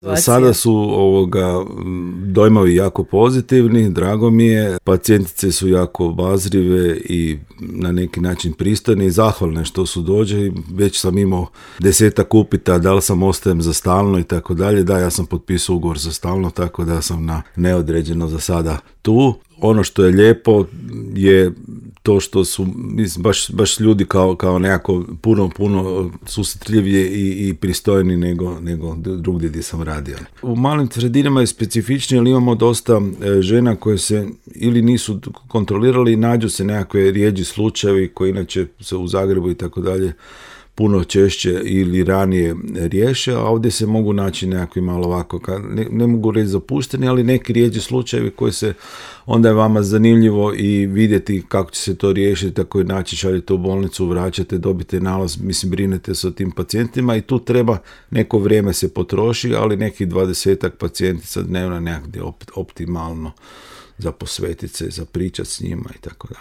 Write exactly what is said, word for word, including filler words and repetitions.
Za sada su ovoga dojmovi jako pozitivni, drago mi je, pacijentice su jako obazrive i na neki način pristojne i zahvalne što su dođe. Već sam imao desetak upita da li sam ostajem za stalno i tako dalje. Da, ja sam potpisao ugovor za stalno, tako da sam na neodređeno za sada tu. Ono što je lijepo je to što su mislim, baš, baš ljudi kao, kao nekako puno, puno susretljivije i, i pristojni nego, nego drugdje gdje sam radio. U malim sredinama je specifičnije, ali imamo dosta žena koje se ili nisu kontrolirali i nađu se nekakve rijeđi slučajevi koji inače se u Zagrebu i tako dalje puno češće ili ranije riješe, a ovdje se mogu naći nekakvi malo ovako, ne, ne mogu reći zapušteni, ali neki rijeđi slučajevi koji se onda je vama zanimljivo i vidjeti kako će se to riješiti, tako i naći, šaljete u bolnicu, vraćate, dobite nalaz, mislim, brinete se o tim pacijentima i tu treba neko vrijeme se potroši, ali nekih dvadesetak pacijentica dnevno nekakve optimalno za posvetiti se, za pričati s njima i tako dalje.